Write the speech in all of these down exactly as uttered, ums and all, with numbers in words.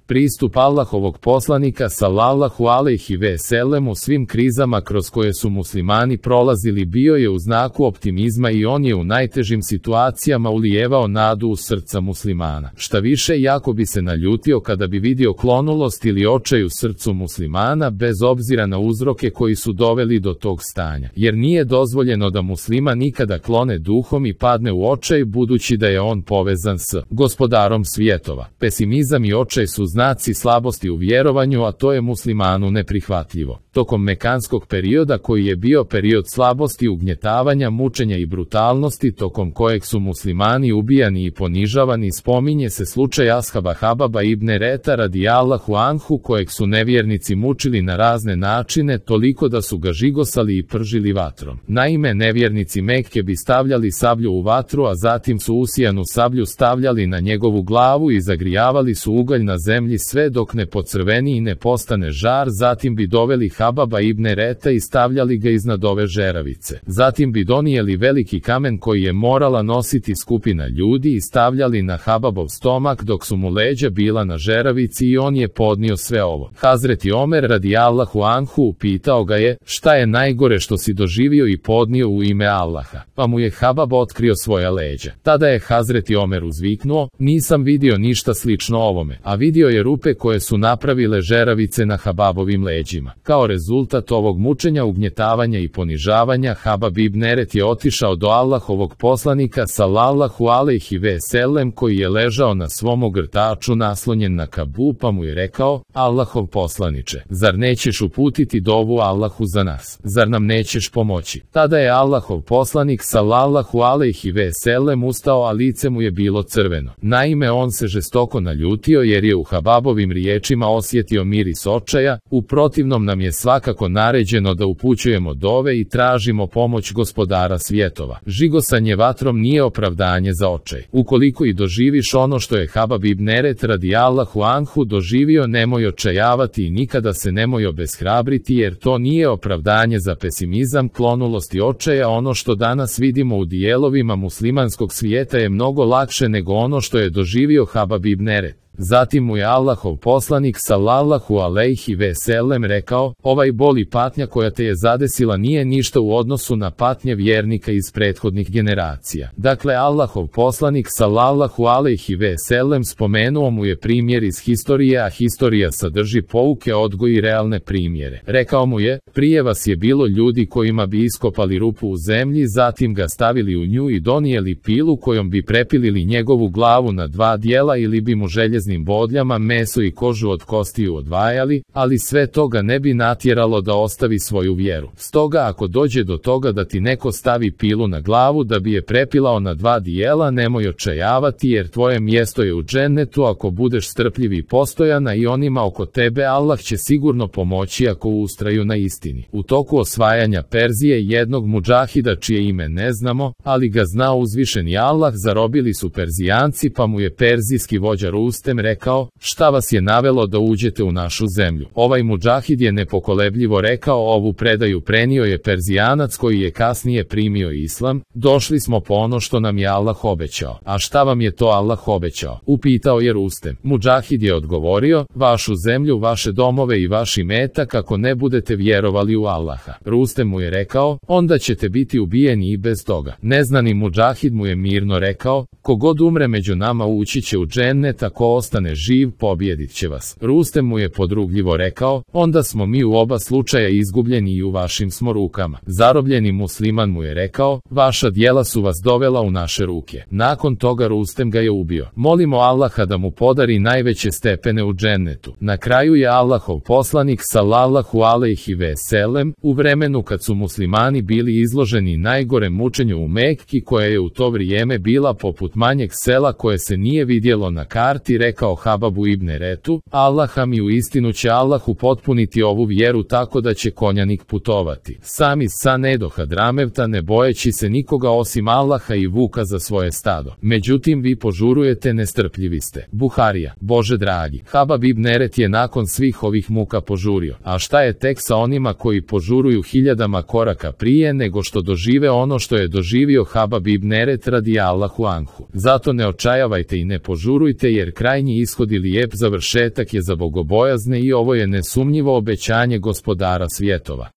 Pristup Allahovog poslanika sallallahu alejhi ve sellem u svim krizama kroz koje su muslimani prolazili bio je u znaku optimizma i on je u najtežim situacijama ulijevao nadu u srca muslimana. Šta više, jako bi se naljutio kada bi vidio klonulost ili očaj u srcu muslimana bez obzira na uzroke koji su doveli do tog stanja. Jer nije dozvoljeno da musliman nikada klone duhom i padne u očaj budući da je on povezan s gospodarom svjetova. Pesimizam i očaj su znaci slabosti u vjerovanju, a to je muslimanu neprihvatljivo. Tokom mekanskog perioda koji je bio period slabosti, ugnjetavanja, mučenja i brutalnosti, tokom kojeg su muslimani ubijani i ponižavani, spominje se slučaj ashaba Hababa ibn Reta radijallahu anhu kojeg su nevjernici mučili na razne načine toliko da su ga žigosali i pržili vatrom. Naime, nevjernici Mekke bi stavljali sablju u vatru, a zatim su usijanu sablju stavljali na njegovu glavu i zagrijavali su ugalj na zemlji sve dok ne pocrveni i ne postane žar, zatim bi doveli Hababa ibn Reta i stavljali ga iznad ove žeravice. Zatim bi donijeli veliki kamen koji je morala nositi skupina ljudi i stavljali na Hababov stomak dok su mu leđa bila na žeravici i on je podnio sve ovo. Hazreti Omer radijallahu anhu upitao ga je, šta je najgore što si doživio i podnio u ime Allaha? Pa mu je Habab otkrio svoja leđa. Tada je Hazreti Omer uzviknuo, nisam vidio ništa slično ovome, a vidio je rupe koje su napravile žeravice na Hababovim leđima. Kao rezultat ovog mučenja, ugnjetavanja i ponižavanja, Habab ibn Eret je otišao do Allahovog poslanika sallallahu alejhi ve sellem koji je ležao na svom ogrtaču naslonjen na Kabu, pa mu je rekao, Allahov poslaniče, zar nećeš uputiti dovu Allahu za nas? Zar nam nećeš pomoći? Tada je Allahov poslanik sallallahu alejhi ve sellem ustao, a lice mu je bilo crveno. Naime, on se žestoko naljutio jer je u Hababovim riječima osjetio miris očaja, u protivnom nam je svakako naređeno da upućujemo dove i tražimo pomoć gospodara svjetova. Žigosanje vatrom nije opravdanje za očaj. Ukoliko i doživiš ono što je Habab ibn Eret radijallahu anhu doživio, nemoj očajavati i nikada se nemoj obeshrabriti, jer to nije opravdanje za pesimizam, klonulost i očaja. Ono što danas vidimo u dijelovima muslimanskog svijeta je mnogo lakše nego ono što je doživio Habab ibn Eret. Zatim mu je Allahov poslanik sallallahu alejhi ve sellem rekao, ovaj bol i patnja koja te je zadesila nije ništa u odnosu na patnje vjernika iz prethodnih generacija. Dakle, Allahov poslanik sallallahu alejhi ve sellem spomenuo mu je primjer iz historije, a historija sadrži pouke, odgoj i realne primjere. Rekao mu je, prije vas je bilo ljudi kojima bi iskopali rupu u zemlji, zatim ga stavili u nju i donijeli pilu kojom bi prepilili njegovu glavu na dva dijela ili bi mu željeznim bodljama meso i kožu od kostiju odvajali, ali sve toga ne bi natjeralo da ostavi svoju vjeru. Stoga ako dođe do toga da ti neko stavi pilu na glavu da bi je prepilao na dva dijela, nemoj očajavati, jer tvoje mjesto je u džennetu ako budeš strpljiv i postojana, i onima oko tebe Allah će sigurno pomoći ako ustraju na istini. U toku osvajanja Perzije jednog mudžahida čije ime ne znamo, ali ga zna uzvišeni Allah, zarobili su Perzijanci, pa mu je perzijski vođa Rustem rekao, šta vas je navelo da uđete u našu zemlju? Ovaj mudžahid je nepokolebljivo rekao, ovu predaju prenio je Perzijanac koji je kasnije primio islam, došli smo po ono što nam je Allah obećao. A šta vam je to Allah obećao? Upitao je Rustem. Mudžahid je odgovorio, vašu zemlju, vaše domove i vaš imetak ako ne budete vjerovali u Allaha. Rustem mu je rekao, onda ćete biti ubijeni i bez toga. Neznani mudžahid mu je mirno rekao, kogod umre među nama ući će u džennet, ako ostane živ pobjedit će vas. Rustem mu je podrugljivo rekao, onda smo mi u oba slučaja izgubljeni i u vašim smo rukama. Zarobljeni musliman mu je rekao, vaša djela su vas dovela u naše ruke. Nakon toga Rustem ga je ubio. Molimo Allaha da mu podari najveće stepene u džennetu. Na kraju je Allahov poslanik sallallahu alejhi ve sellem, u vremenu kad su muslimani bili izloženi najgorem mučenju u Mekki, koja je u to vrijeme bila poput manjeg sela koje se nije vidjelo na karti, rekao Hababu ibn Retu, Allaha mi, u istinu će Allah upotpuniti ovu vjeru tako da će konjanik putovati sami sa do Hadramevta, ne bojeći se nikoga osim Allaha i vuka za svoje stado. Međutim, vi požurujete, nestrpljivi ste. Buharija. Bože dragi, Habab ibn Eret je nakon svih ovih muka požurio. A šta je tek sa onima koji požuruju hiljadama koraka prije nego što dožive ono što je doživio Habab ibn Eret radijallahu anhu? Zato ne očajavajte i ne požurujte, jer kraj krajnji ishod i lijep završetak je za bogobojazne i ovo je nesumnjivo obećanje Gospodara svjetova.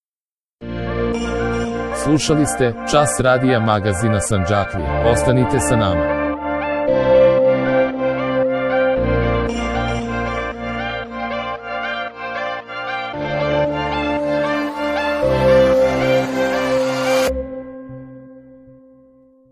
Slušali ste Čas radija magazina Sandžaklija. Ostanite sa nama.